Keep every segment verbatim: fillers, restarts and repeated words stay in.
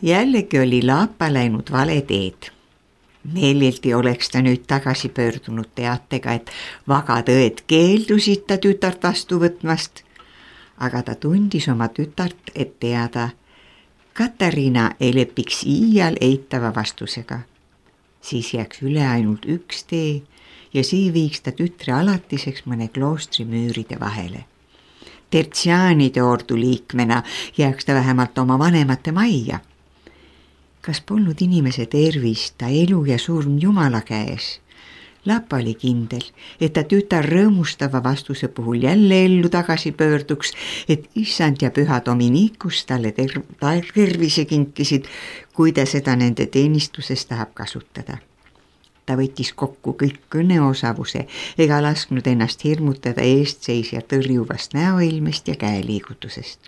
Jällegi oli Laapa läinud vale teed. Meeleldi oleks ta nüüd tagasi pöördunud teatega, et vagad õed keeldusid ta tütart vastu võtmast, aga ta tundis oma tütart, et teada, Katariina ei lepiks iial eitava vastusega. Siis jääks üle ainult üks tee ja see viiks ta tütre alatiseks mõne kloostri müüride vahele. Tertsiaanide ordu liikmena jääks ta vähemalt oma vanemate majja. Kas polnud inimese tervis, ta elu ja surm Jumala käes? Laapa oli kindel, et ta tütar rõõmustava vastuse puhul jälle ellu tagasi pöörduks, et issand ja püha Dominikus talle ter- tervise kinkisid, kui ta seda nende teenistuses tahab kasutada. Ta võttis kokku kõik kõneosavuse ega lasknud ennast hirmutada eestseisja tõrjuvast näoilmest ja käeliigutusest.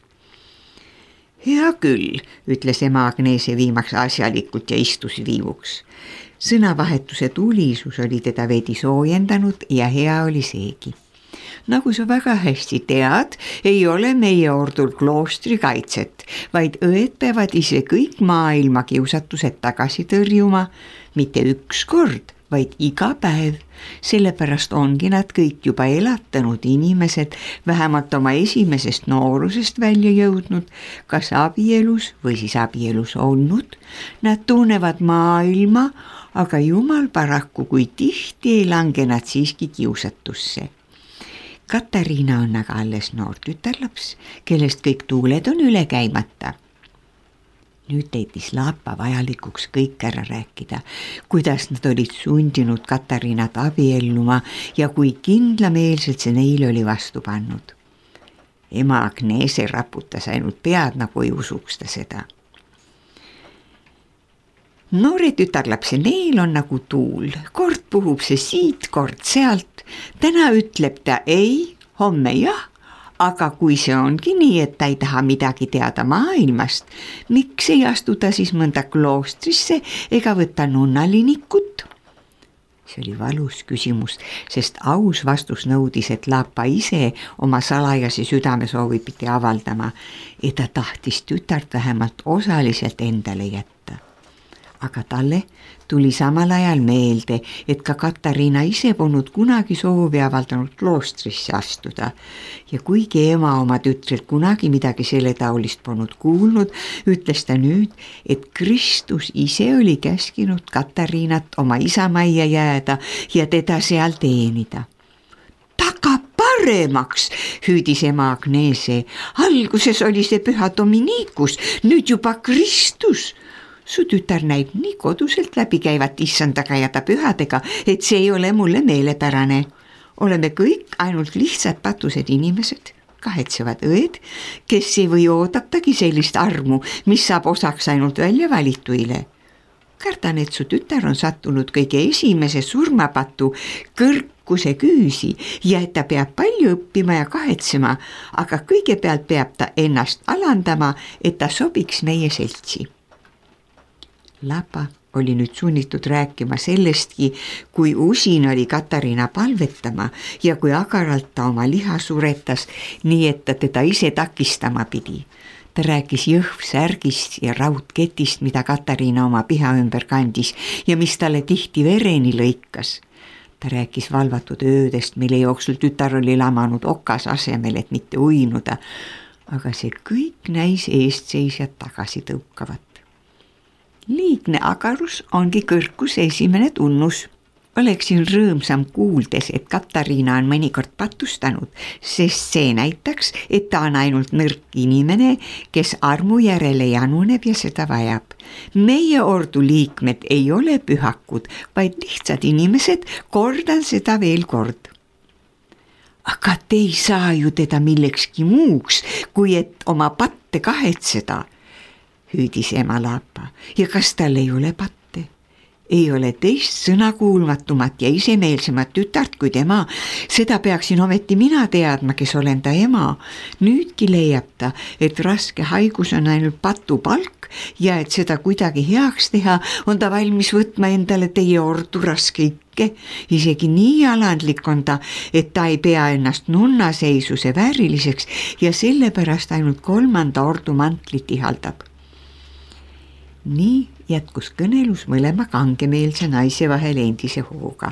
Hea küll, ütles ema Agnese viimaks asjalikult ja istus viivuks. Sõnavahetuse tulisus oli teda veidi soojendanud ja hea oli seegi. Nagu sa väga hästi tead, ei ole meie ordul kloostri kaitset, vaid õed peavad ise kõik maailma kiusatused tagasi tõrjuma, mitte üks kord, vaid iga päev. Sellepärast ongi nad kõik juba elatanud inimesed, vähemalt oma esimesest noorusest välja jõudnud, kas abielus või siis abielus olnud. Nad tunnevad maailma, aga Jumal paraku, kui tihti ei lange nad siiski kiusatusse. Katariina on aga alles noor tütarlaps, kellest kõik tuuled on üle käimata. Nüüd teitis Laapa vajalikuks kõik ära rääkida, kuidas nad olid sundinud Katariinat abielluma ja kui kindlameelselt see neile oli vastu pannud. Ema Agnese raputas ainult pead, nagu ei usuks ta seda. Noore tütarlapse neel on nagu tuul, kord puhub see siit, kord sealt, täna ütleb ta ei, homme jah. Aga kui see ongi nii, et ta ei taha midagi teada maailmast, miks ei astu ta siis mõnda kloostrisse ega võtta nunnalinikut? See oli valus küsimus, sest aus vastus nõudis, et Laapa ise oma salajasi südamesoovi pidi avaldama, et ta tahtis tütart vähemalt osaliselt endale jätta. Aga talle tuli samal ajal meelde, et ka Katariina ise polnud kunagi soovi avaldanud kloostrisse astuda ja kuigi ema oma tütrelt kunagi midagi selle taolist polnud kuulnud, ütles ta nüüd, et Kristus ise oli käskinud Katariinat oma isamajja jääda ja teda seal teenida. Taga paremaks, hüüdis ema Agnese. Alguses oli see püha Dominikus, nüüd juba Kristus. Su tütar näib nii koduselt läbi käivat issandaga ja ta pühadega, et see ei ole mulle meelepärane. Oleme kõik ainult lihtsad patused inimesed, kahetsevad õed, kes ei või oodatagi sellist armu, mis saab osaks ainult välja valituile. Kardan, et su tütar on sattunud kõige esimese surmapatu kõrkuse küüsi ja et ta peab palju õppima ja kahetsema, aga kõigepealt peab ta ennast alandama, et ta sobiks meie seltsi. Laapa oli nüüd sunnitud rääkima sellestki, kui usin oli Katariina palvetama ja kui agaralt ta oma liha suretas, nii et ta teda ise takistama pidi. Ta rääkis jõhvsärgist ja raudketist, mida Katariina oma piha ümber kandis ja mis talle tihti vereni lõikas. Ta rääkis valvatud öödest, mille jooksul tütar oli lamanud okas asemel, et mitte uinuda, aga see kõik näis eestseisjad tagasi tõukavat. Liigne agarus ongi kõrkuse esimene tunnus. Oleksin rõõmsam kuuldes, et Katariina on mõnikord patustanud, sest see näitaks, et ta on ainult nõrk inimene, kes armu järele januneb ja seda vajab. Meie ordu liikmed ei ole pühakud, vaid lihtsad inimesed, kordan seda veel kord. Aga te ei saa ju teda millekski muuks, kui et oma patte kahetseda, hüüdis ema Laapa. Ja kas tal ei ole patte? Ei ole teist sõnakuulmatumat ja isemeelsemat tütart kui tema. Seda peaksin ometi mina teadma, kes olen ta ema. Nüüdki leiab ta, et raske haigus on ainult patupalk ja et seda kuidagi heaks teha, on ta valmis võtma endale teie ordu raske ikke. Isegi nii alandlik on ta, et ta ei pea ennast nunnaseisuse vääriliseks ja sellepärast ainult kolmanda ordu mantlit ihaldab. nii jätkus kõnelus mõlema kangemeelse naise vahel endise hooga.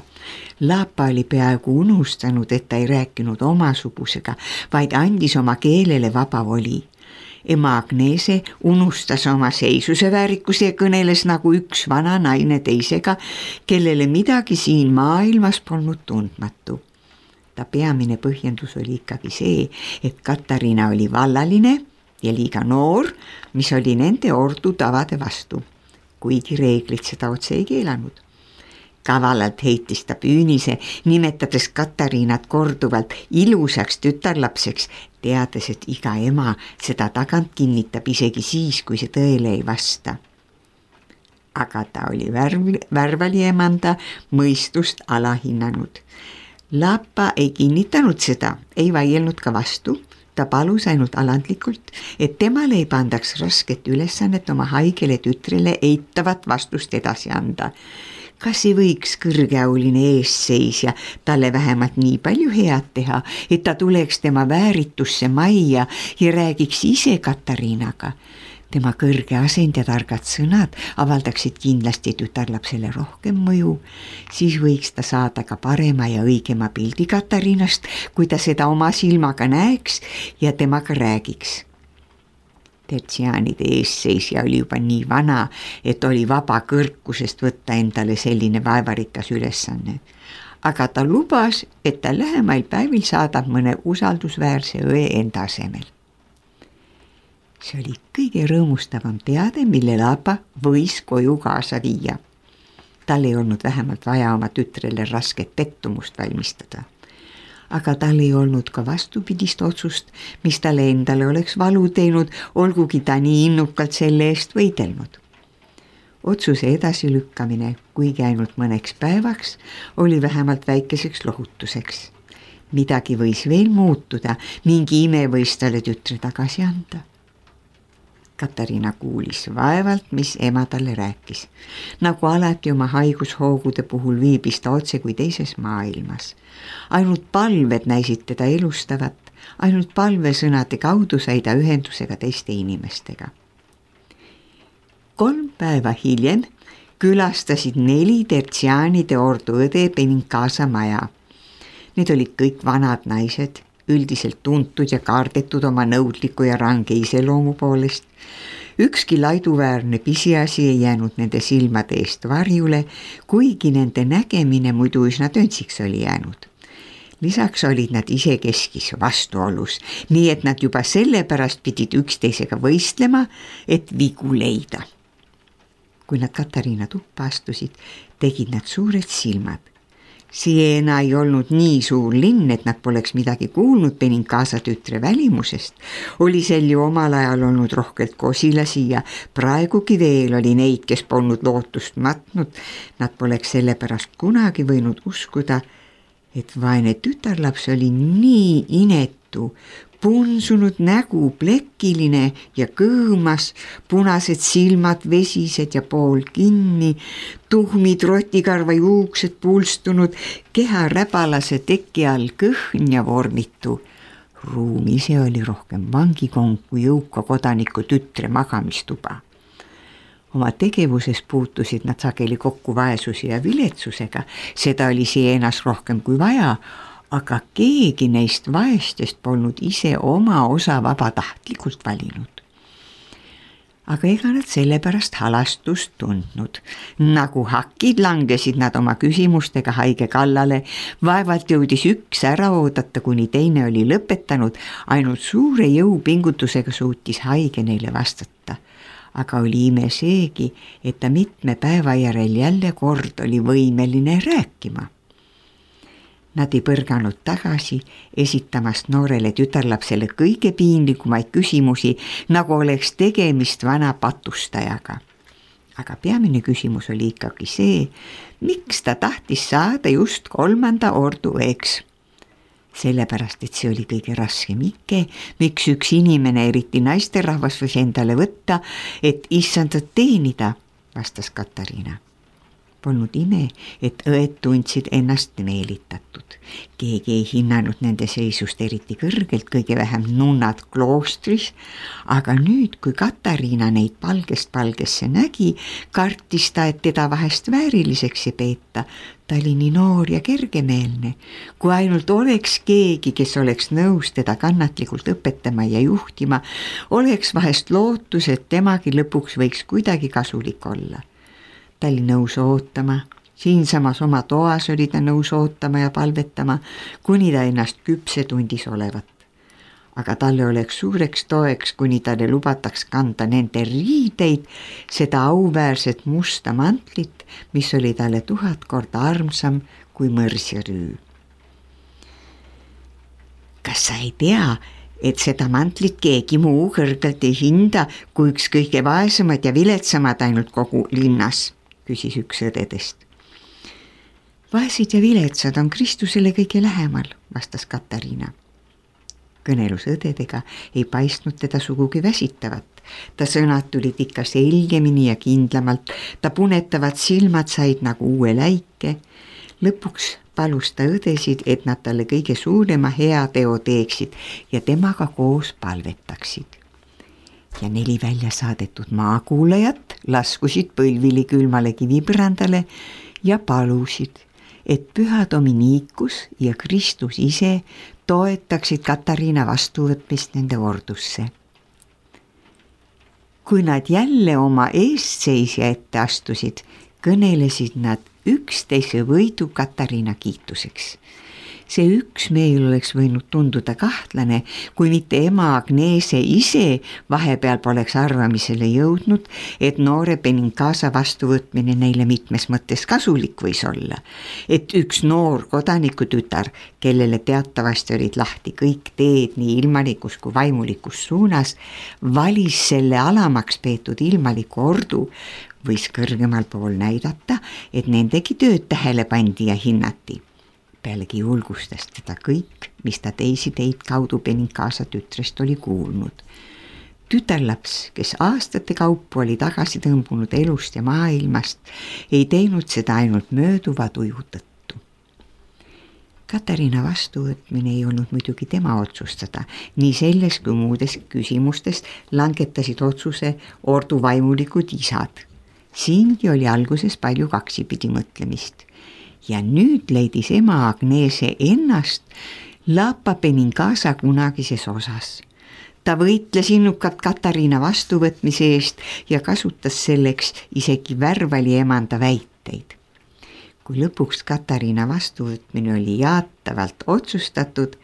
Laapa oli peaaegu unustanud, et ta ei rääkinud omasugusega, vaid andis oma keelele vaba voli. Ema Agnese unustas oma seisuse väärikuse ja kõneles nagu üks vana naine teisega, kellele midagi siin maailmas polnud tundmatu. Ta peamine põhjendus oli ikkagi see, et Katariina oli vallaline ja liiga noor, mis oli nende ordu tavade vastu, kuigi reeglid seda otse ei keelanud. Kavalalt heitis ta püünise, nimetades Katariinat korduvalt ilusaks tütarlapseks, teades, et iga ema seda tagant kinnitab isegi siis, kui see tõele ei vasta. Aga ta oli värv, värvali emanda mõistust alahinnanud. Laapa ei kinnitanud seda, ei vaielnud ka vastu. Ta palus ainult alandlikult, et temale ei pandaks rasket ülesannet oma haigele tütrele eitavat vastust edasi anda. Kas ei võiks kõrgeauline eesseisja talle vähemalt nii palju head teha, et ta tuleks tema vääritusse majja ja räägiks ise Katariinaga? Tema kõrge asend ja targad sõnad avaldaksid kindlasti tütarlapsele rohkem mõju, siis võiks ta saada ka parema ja õigema pildi Katariinast, kui ta seda oma silmaga näeks ja temaga räägiks. Tertsiaanide eesseisja oli juba nii vana, et oli vaba kõrkusest võtta endale selline vaevarikas ülesanne. Aga ta lubas, et ta lähemail päevil saadab mõne usaldusväärse õe enda asemel. See oli kõige rõõmustavam teade, mille Laapa võis koju kaasa viia. Tal ei olnud vähemalt vaja oma tütrele rasket pettumust valmistada. Aga tal ei olnud ka vastupidist otsust, mis talle endale oleks valu teinud, olgugi ta nii innukalt selle eest võidelnud. Otsuse edasilükkamine, kuigi ainult mõneks päevaks, oli vähemalt väikeseks lohutuseks. Midagi võis veel muutuda, mingi ime võis talle tütre tagasi anda. Katariina kuulis vaevalt, mis ema talle rääkis. Nagu alati oma haigushoogude puhul viibis ta otse kui teises maailmas. Ainult palved näisid teda elustavat, ainult palvesõnade kaudu sai ta ühendusega teiste inimestega. Kolm päeva hiljem külastasid neli Tertsiaanide ordu õde Benincasa maja. Need olid kõik vanad naised, üldiselt tuntud ja kaardetud oma nõudliku ja range iseloomu poolest. Ükski laiduväärne pisiasi ei jäänud nende silmade eest varjule, kuigi nende nägemine muidu üsna töntsiks oli jäänud. Lisaks olid nad ise keskis vastuolus, nii et nad juba sellepärast pidid üksteisega võistlema, et vigu leida. Kui nad Katariina tuppa astusid, tegid nad suured silmad. Siena ei olnud nii suur linn, et nad poleks midagi kuulnud Benincasa tütre välimusest. Oli sel ju omal ajal olnud rohkelt kosilasi ja praegugi veel oli neid, kes polnud lootust matnud. Nad poleks sellepärast kunagi võinud uskuda, et vaene tütarlaps oli nii inetu, punsunud nägu, plekiline ja kõõmas, punased silmad, vesised ja pool kinni, tuhmid rotikarva juuksed pulstunud, keha räbalase teki all kõhn ja vormitu. Ruum ise oli rohkem vangikong kui jõuka kodaniku tütre magamistuba. Oma tegevuses puutusid nad sageli kokku vaesuse ja viletsusega, seda oli Sienas rohkem kui vaja, aga keegi neist vaestest polnud ise oma osa vabatahtlikult valinud. Aga ega nad sellepärast halastust tundnud. Nagu hakid langesid nad oma küsimustega haige kallale, vaevalt jõudis üks ära oodata, kuni teine oli lõpetanud, ainult suure jõupingutusega suutis haige neile vastata. Aga oli ime seegi, et ta mitme päeva järel jälle kord oli võimeline rääkima. Nad ei põrganud tagasi, esitamast noorele tütarlapsele kõige piinlikumaid küsimusi, nagu oleks tegemist vana patustajaga. Aga peamine küsimus oli ikkagi see, miks ta tahtis saada just kolmanda ordu õeks. Sellepärast, et see oli kõige raskem ikke, miks üks inimene, eriti naisterahvas, võis endale võtta, et issandat teenida, vastas Katariina. Polnud ime, et õed tundsid ennast meelitatud. Keegi ei hinnanud nende seisust eriti kõrgelt, kõige vähem nunnad kloostris, aga nüüd, kui Katariina neid palgest palgesse nägi, kartis ta, et teda vahest vääriliseks ei peeta. Ta oli nii noor ja kergemeelne, kui ainult oleks keegi, kes oleks nõus teda kannatlikult õpetama ja juhtima, oleks vahest lootus, et temagi lõpuks võiks kuidagi kasulik olla. Ta oli nõus ootama, siinsamas oma toas oli ta nõus ootama ja palvetama, kuni ta ennast küpse tundis olevat. Aga talle oleks suureks toeks, kuni talle lubataks kanda nende riideid, seda auväärset musta mantlit, mis oli talle tuhat korda armsam kui mõrs ja rüü. Kas sa ei tea, et seda mantlit keegi muu kõrgelt ei hinda, kui üks kõige vaesemad ja viletsamad ainult kogu linnas, küsis üks õdedest. Vaesed ja viletsad on Kristusele kõige lähemal, vastas Katariina. Kõnelus õdedega ei paistnud teda sugugi väsitavat. Ta sõnad tulid ikka selgemini ja kindlamalt, ta punetavad silmad said nagu uue läike. Lõpuks palus ta õdesid, et nad talle kõige suurema hea teo teeksid ja temaga koos palvetaksid. Ja neli välja saadetud maakuulajat laskusid põlvili külmale kivipõrandale ja palusid, et püha Dominikus ja Kristus ise toetaksid Katariina vastuvõtmist nende ordusse. Kui nad jälle oma eestseisja ette astusid, kõnelesid nad üksteise võidu Katariina kiituseks. See üksmeel oleks võinud tunduda kahtlane, kui mitte ema Agnese ise vahepeal poleks arvamisele jõudnud, et noore Benincasa vastuvõtmine neile mitmes mõttes kasulik võis olla. Et üks noor kodanikutütar, kellele teatavasti olid lahti kõik teed nii ilmalikus kui vaimulikus suunas, valis selle alamaks peetud ilmaliku ordu, võis kõrgemal pool näidata, et nendegi tööd tähele pandi ja hinnati. Pealegi julgustas teda kõik, mis ta teisi teid kaudu Benincasa tütrest oli kuulnud. Tütarlaps, kes aastate kaupu oli tagasi tõmbunud elust ja maailmast, ei teinud seda ainult mööduva tuju tõttu. Katariina vastuvõtmine ei olnud muidugi tema otsustada, nii selles kui muudes küsimustes langetasid otsuse ordu vaimulikud isad. Siingi oli alguses palju kaksipidi mõtlemist. Ja nüüd leidis ema Agnese ennast Lapa Benincasa kunagises osas. Ta võitles innukalt Katariina vastuvõtmise eest ja kasutas selleks isegi värvali emanda väiteid. Kui lõpuks Katariina vastuvõtmine oli jaatavalt otsustatud,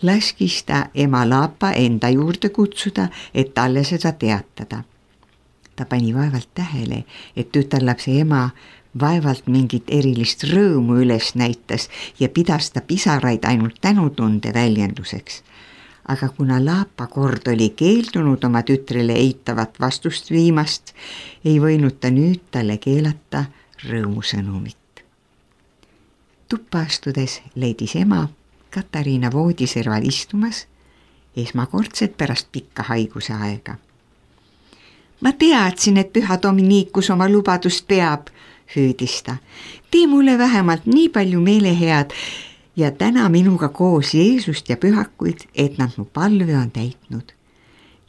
laskis ta ema Lapa enda juurde kutsuda, et talle seda teatada. Ta pani vaevalt tähele, et tütarlapse ema vaevalt mingit erilist rõõmu üles näitas ja pidas ta pisaraid ainult tänutunde väljenduseks. Aga kuna Lapa kord oli keeldunud oma tütrele eitavat vastust viimast, ei võinud ta nüüd talle keelata rõõmusõnumit. Tuppa astudes leidis ema Katariina voodiserval istumas, esmakordselt pärast pikka haiguse aega. Ma teadsin, et püha Dominikus oma lubadust peab, hüüdis ta. Tee mulle vähemalt nii palju meelehead ja täna minuga koos Jeesust ja pühakuid, et nad mu palve on täitnud.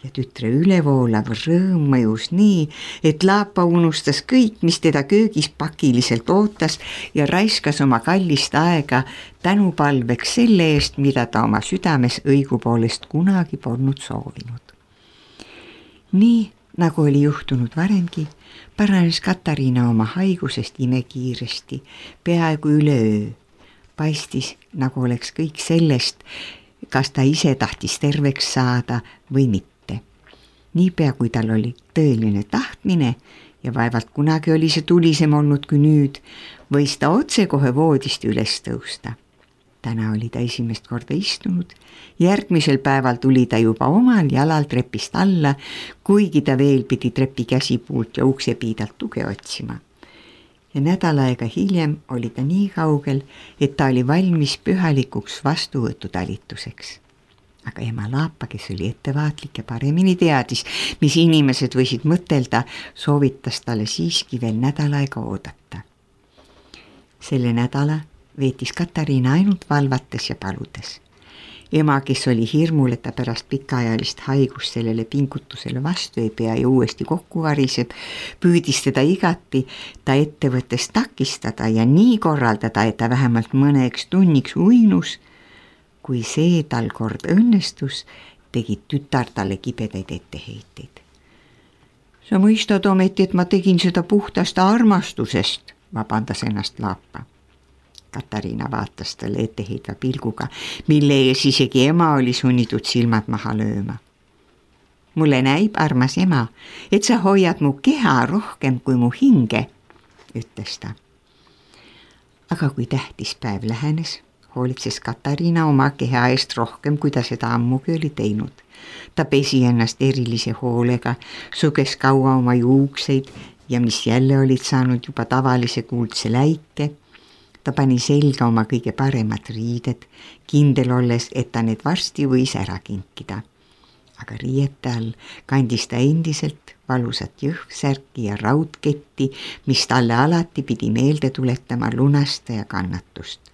Ja tütre ülevoolav rõõm mõjus nii, et Lapa unustas kõik, mis teda köögis pakiliselt ootas ja raiskas oma kallist aega tänupalveks selle eest, mida ta oma südames õigupoolest kunagi polnud soovinud. Nii nagu oli juhtunud varemgi, paranes Katariina oma haigusest imekiiresti, peaaegu üleöö. Paistis, nagu oleks kõik sellest, kas ta ise tahtis terveks saada või mitte. Niipea kui tal oli tõeline tahtmine ja vaevalt kunagi oli see tulisem olnud kui nüüd, võis ta otse kohe voodist üles tõusta. Täna oli ta esimest korda istunud, järgmisel päeval tuli ta juba omal jalal trepist alla, kuigi ta veel pidi trepi käsipuult ja uksepiidalt tuge otsima. Ja nädal aega hiljem oli ta nii kaugel, et ta oli valmis pühalikuks vastuvõtutalituseks. Aga ema Lapa, kes oli ettevaatlik ja paremini teadis, mis inimesed võisid mõtelda, soovitas talle siiski veel nädal aega oodata. Selle nädala veetis Katariina ainult valvates ja paludes. Ema, kes oli hirmul, et ta pärast pikaajalist haigust sellele pingutusele vastu ei pea ja uuesti kokku variseb, püüdis teda igati ta ettevõttest takistada ja nii korraldada, et ta vähemalt mõneks tunniks uinus. Kui see tal kord õnnestus, tegid tütar talle kibedaid etteheiteid. Sa mõistad ometi, et ma tegin seda puhtast armastusest, vabandas ennast Laapa. Katariina vaatas talle etteheitva pilguga, mille ees isegi ema oli sunnitud silmad maha lööma. Mulle näib, armas ema, et sa hoiad mu keha rohkem kui mu hinge, ütles ta. Aga kui tähtis päev lähenes, hoolitses Katariina oma keha eest rohkem, kui ta seda ammugi oli teinud. Ta pesi ennast erilise hoolega, suges kaua oma juukseid ja mis jälle olid saanud juba tavalise kuldse läike. Ta pani selga oma kõige paremad riided, kindel olles, et ta need varsti võis ära kinkida. Aga riiete all kandis ta endiselt valusat jõhksärki ja raudketti, mis talle alati pidi meelde tuletama lunasta ja kannatust.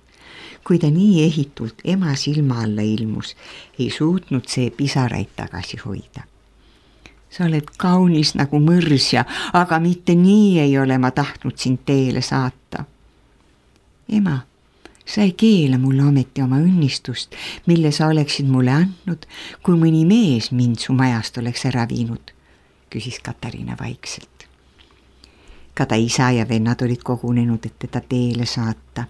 Kui ta nii ehitult ema silma alla ilmus, ei suutnud see pisaraid tagasi hoida. Sa oled kaunis nagu mõrsja, aga mitte nii ei ole ma tahtnud sind teele saata. Ema, sa ei keela mulle ometi oma õnnistust, mille sa oleksid mulle andnud, kui mõni mees mind su majast oleks ära viinud, küsis Katariina vaikselt. Ka ta isa ja vennad olid kogunenud, et teda teele saata.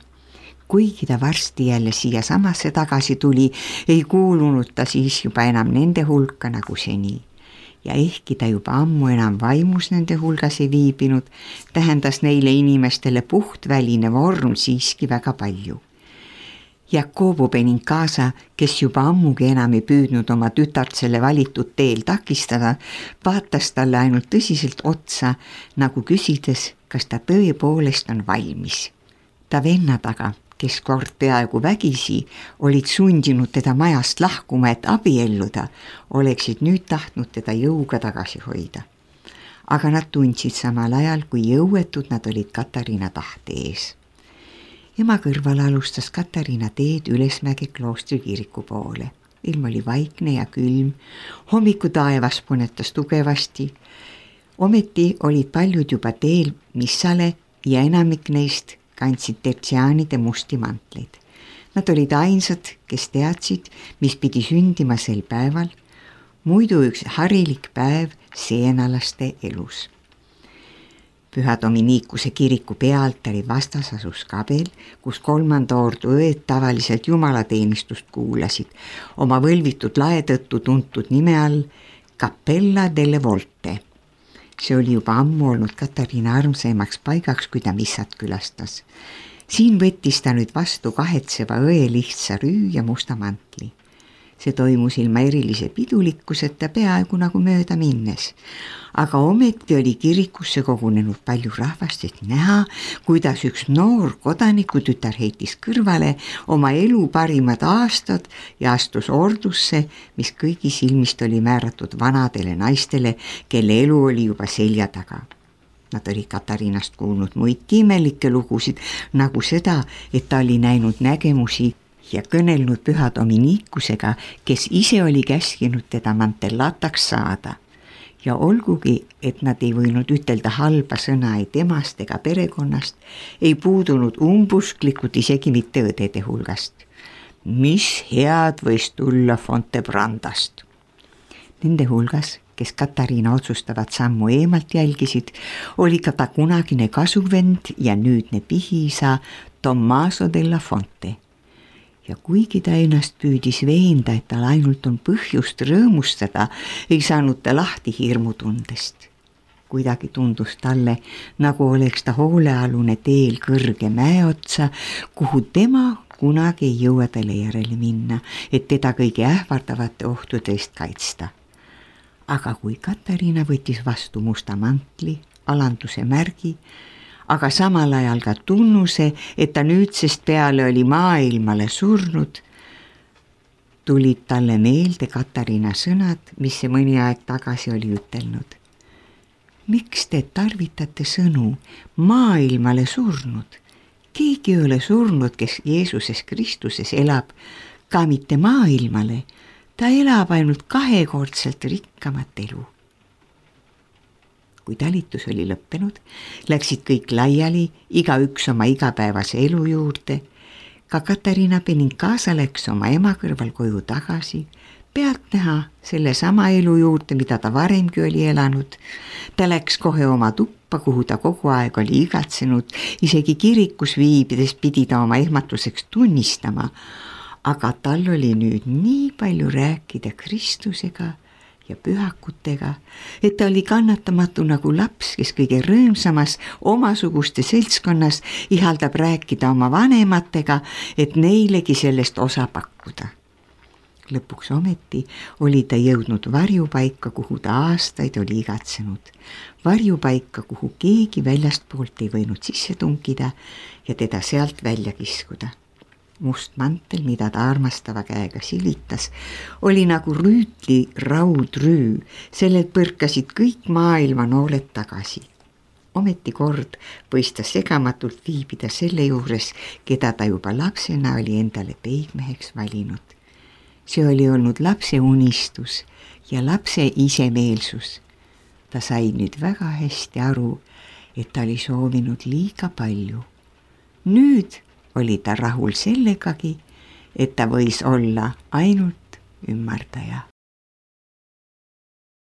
Kuigi ta varsti jälle siia samasse tagasi tuli, ei kuulunud ta siis juba enam nende hulka nagu seni. Ja ehkki ta juba ammu enam vaimus nende hulgas ei viibinud, tähendas neile inimestele puhtväline vorm siiski väga palju. Jakobo Benincasa, kes juba ammugi enam ei püüdnud oma tütart selle valitud teel takistada, vaatas talle ainult tõsiselt otsa, nagu küsides, kas ta tõepoolest on valmis. Ta vennad aga, kes kord peaaegu vägisi olid sundinud teda majast lahkuma, et abielluda, oleksid nüüd tahtnud teda jõuga tagasi hoida. Aga nad tundsid samal ajal, kui jõuetud nad olid Katariina tahte ees. Ema kõrval alustas Katariina teed Ülesmäge kloostri kiriku poole. Ilm oli vaikne ja külm, hommiku taevas punetas tugevasti. Ometi olid paljud juba teel missale ja enamik neist kandsid tertsiaanide musti mantleid. Nad olid ainsad, kes teadsid, mis pidi sündima sel päeval, muidu üks harilik päev seenalaste elus. Püha Dominikuse kiriku pealtari vastas asus kabel, kus kolmanda ordu õed tavaliselt jumalateenistust kuulasid, oma võlvitud lae tõttu tuntud nime all Cappella delle Volte. See oli juba ammu olnud Katariina armsaimaks paigaks, kui ta missat külastas. Siin võttis ta nüüd vastu kahetseva õe lihtsa rüü ja musta mantli. See toimus ilma erilise pidulikkuseta peaaegu nagu mööda minnes. Aga ometi oli kirikusse kogunenud palju rahvast, et näha, kuidas üks noor kodanikutütar heitis kõrvale oma elu parimad aastad ja astus ordusse, mis kõigi silmist oli määratud vanadele naistele, kelle elu oli juba selja taga. Nad olid Katariinast kuulnud muidki imelikke lugusid, nagu seda, et ta oli näinud nägemusi ja kõnelnud püha Dominikusega, kes ise oli käskinud teda mantellataks saada. Ja olgugi, et nad ei võinud ütelda halba sõna ei temast ega perekonnast, ei puudunud umbusklikud isegi mitte õdede hulgast. Mis head võis tulla Fontebrandast? Nende hulgas, kes Katariina otsustavat sammu eemalt jälgisid, oli ka ta kunagine kasuvend ja nüüdne pihiisa Tommaso della Fonte. Ja kuigi ta ennast püüdis veenda, et tal ainult on põhjust rõõmustada, ei saanud ta lahti hirmutundest. Kuidagi tundus talle, nagu oleks ta hoolealune teel kõrge mäe otsa, kuhu tema kunagi ei jõua talle järele minna, et teda kõige ähvardavate ohtude eest kaitsta. Aga kui Katariina võttis vastu musta mantli, alanduse märgi, aga samal ajal ka tunnuse, et ta nüüdsest peale oli maailmale surnud, tulid talle meelde Katariina sõnad, mis see mõni aeg tagasi oli ütelnud. Miks te tarvitate sõnu maailmale surnud? keegi ei ole surnud, kes Jeesuses Kristuses elab, ka mitte maailmale, ta elab ainult kahekordselt rikkamat elu. Kui talitus oli lõppenud, läksid kõik laiali, igaüks oma igapäevase elu juurde. Ka Katariina Benincasa läks oma ema kõrval koju tagasi, pealtnäha selle sama elu juurde, mida ta varemgi oli elanud. Ta läks kohe oma tuppa, kuhu ta kogu aeg oli igatsenud, isegi kirikus viibides pidi ta oma ehmatuseks tunnistama, aga tal oli nüüd nii palju rääkida Kristusega ja pühakutega, et ta oli kannatamatu nagu laps, kes kõige rõõmsamas omasuguste seltskonnas ihaldab rääkida oma vanematega, et neilegi sellest osa pakkuda. Lõpuks ometi oli ta jõudnud varjupaika, kuhu ta aastaid oli igatsenud. Varjupaika, kuhu keegi väljastpoolt ei võinud sisse tunkida ja teda sealt välja kiskuda. Must mantel, mida ta armastava käega silitas, oli nagu rüütli raudrüü, sellelt põrkasid kõik maailma nooled tagasi. Ometi kord võis ta segamatult viibida selle juures, keda ta juba lapsena oli endale peigmeheks valinud. See oli olnud lapse unistus ja lapse isemeelsus. Ta sai nüüd väga hästi aru, et ta oli soovinud liiga palju. Nüüd oli ta rahul sellegagi, et ta võis olla ainult ümmardaja.